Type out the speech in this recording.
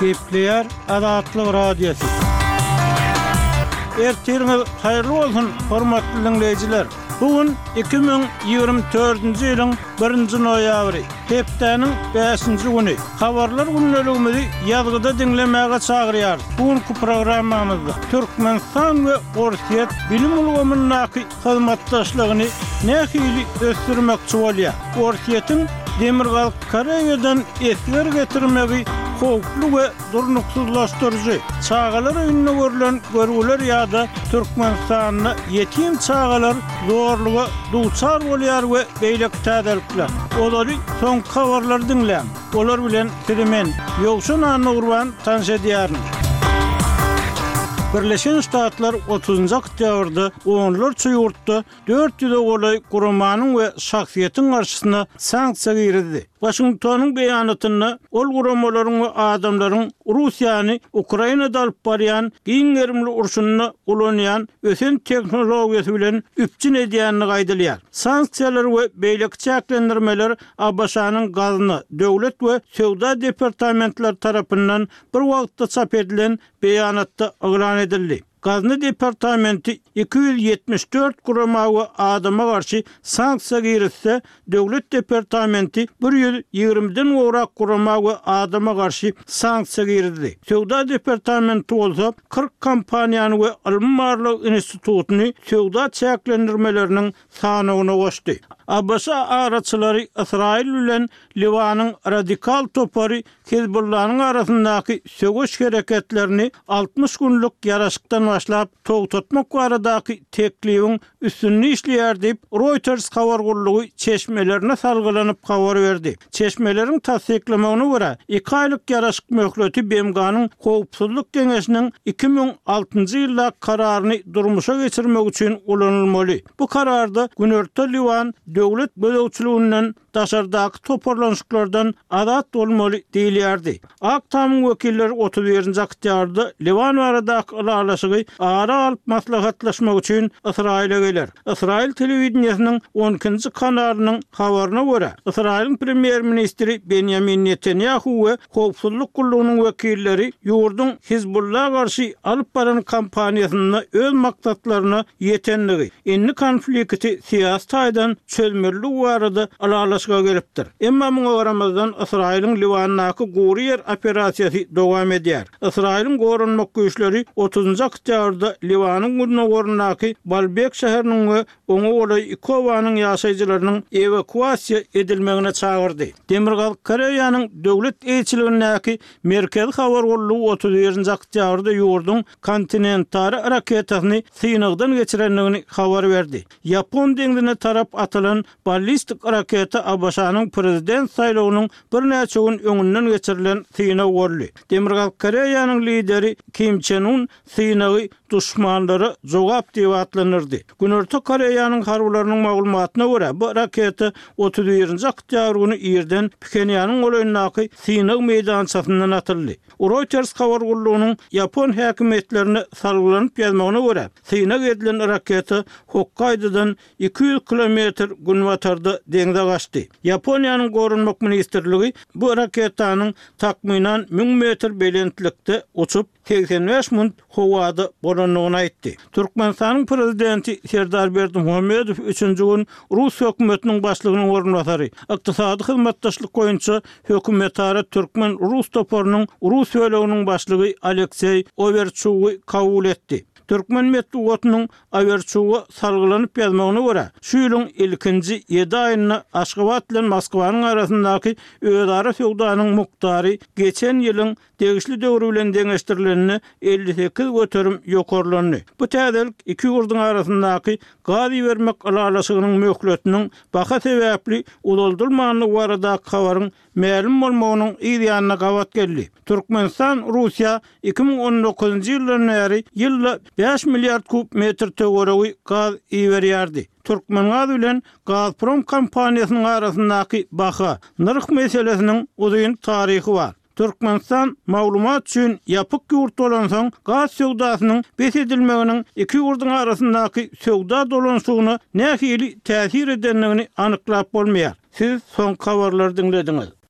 Gepleýär Azatlyk Radiosy. Ertiriňiz haýyrly bolsun, hormatly diňleýjiler! Bu gün 2024-nji ýylyň birinji noýabry, hepdäniň bäşinji güni. Habarlar gündeligimizi ýazgyda diňlemäge çagyrýarys. Bu günki programmamyzda Türkmenistan we Orsýet bilim ulgamyndaky hyzmatdaşlygyny nähili ösdürmekçi bolýar? Orsýetiň Demirgazyk Koreýadan esger getirmegi howply we durnuksyzlaşdyryjy. Çagalar öýünde görlen görgüler ýa-da Türkmenistanda ýetim çagalar zorluga duçar bolýar we beýleki täzelikler. Ozaly soňky habarlary diňläň. Olar bilen sizi men, Ýowşan Annagurban tanyş edýärin. Birleşen Ştatlar otuzynjy oktýabrda onlarça ýurtda 400-e golaý guramanyň we şahsyýetiň garşysyna sanksiýa girizdi. Waşingtonyň beýanatynda ol guramalaryň we adamlaryň Russiýany Ukrainada alyp barýan giň gerimli urşunda ulanýan ösen tehnologiýasy bilen üpjün edýändigi aýdylýar. Sanksiýalar we beýleki çäklendirmeler ABŞ-nyň Gazna, Döwlet we Söwda departamentleri tarapyndan bir wagtda çap edilen beýanatda yglan edildi. Gazna departamenti 274 gurama we adama garşy sanksiýa girizse, Döwlet departamenti bir ýüz ýigrimiden gowrak gurama we adama garşy sanksiýa girizdi. Söwda departamenti bolsa 40 kompaniýany we ylmy-barlag institutyny söwda çäklendirmeleriniň sanawyna goşdy. ABŞ araçylary Ysraýyl bilen Liwanyň radikal topary Hizbullanyň arasyndaky söweş hereketlerini 60 günlük ýaraşykdan başlap togtatmak baradaky teklibiň üstünde işleýär diýip, Reuters habar gullugy çeşmelerine salgylanyp habar berdi. Çeşmeleriň tassyklamagyna görä, iki aýlyk ýaraşyk möhleti BMG-niň Howpsuzlyk Geňeşiniň 2006-njy ýyldaky kararyny durmuşa geçirmek üçin ulanylmaly. Bu kararda Günorta Liwan döwlet gözegçiliginden daşardaky toparlanyşyklardan azat bolmaly diýilýärdi. Ak tamyň wekilleri 31-nji oktýabrda Liwan baradaky ylalaşygy ara alyp maslahatlaşmak üçin Ysraýyla geler. Ysraýyl telewideniýesiniň on ikinji kanalynyň habaryna görä, Ysraýylyň premýer-ministri Benýamin Netanýahu we howpsuzlyk gullugynyň wekilleri ýurduň Hizbulla garşy alyp baran kampaniýasynda öz maksatlaryna ýetendigi, indi konflikti syýasy taýdan çözmelidigi barada ylalaşyga gelipdir. Emma muňa garamazdan, Ysraýylyň Liwandaky gury ýer operasiýasy dowam edýär. Ysraýylyň goranmak güýçleri otuzynjy oktýabrda Liwanyň gündogaryndaky Balbek şäheriniň we oňa golaý iki obanyň ýaşaýjylarynyň ewakuasiýa edilmegine çagyrdy. Demirgazyk Koreýanyň döwlet eýeçiligindäki Merkezi habar gullugy 31-nji oktýabrda ýurduň kontinentara raketasyny synagdan geçirendigini habar berdi. Ýapon deňzine tarap atylan ballistik raketa ABŞ-nyň prezident saýlawynyň birnäçe gün öňünden geçirilen synag boldy. Demirgazyk Koreýanyň lideri Kim Çen Un synagy duşmanlara jogap diýip atlandyrdy. Günorta Koreýanyň harbylarynyň maglumatyna görä, bu raketa 31-nji oktýabr güni irden Phenýanyň golaýyndaky synag meýdançasyndan atyldy. Reuters habar gullugynyň ýapon häkimiýetlerine salgylanyp ýazmagyna görä, synag edilen raketa Hokkaýdodan 200 kilometr günbatarda deňze gaçdy. Ýaponiýanyň Goranmak ministrligi bu raketanyň takmynan 1000 metr belentlikde uçup, 85 munt howada bolandygyny aýtdy. Türkmenistanyň Prezidenti Serdar Berdimuhamedow üçünji gün rus hökümetiniň başlygynyň orunbasary, Ykdysady hyzmatdaşlyk boýunça hökümetara türkmen-rus toparynyň rus böleginiň başlygy Alekseý Owerçugy kabul etdi. Türkmen metbugatynyň Owerçuga salgylanyp ýazmagyna görä, şu ýylyň ilkinji ýedi aýynda Aşgabat bilen Moskwanyň arasyndaky özara söwdanyň mukdary geçen ýylyň degişli döwri bilen deňeşdirilende 58% ýokarlandy. Bu täzelik iki ýurduň arasyndaky gaz ibermek ylalaşygynyň möhletiniň baha sebäpli uzaldylmandygy baradaky habaryň mälim bolmagynyň yz ýanyna gabat geldi. Türkmenistan Russiýa 2019-njy ýyldan bäri ýylda bäş milliard kub metr töweregi gaz iberýärdi. Türkmengaz bilen Gazprom kompaniýasynyň arasyndaky baha, nyrh meselesiniň uzyn taryhy bar. Türkmenistan maglumat üçin ýapyk ýurt bolansoň, gaz söwdasynyň bes edilmeginiň iki ýurduň arasyndaky söwda dolanyşygyna nähili täsir edendigini anyklap bolmaýar. Siz soňky habarlary diňlediňiz.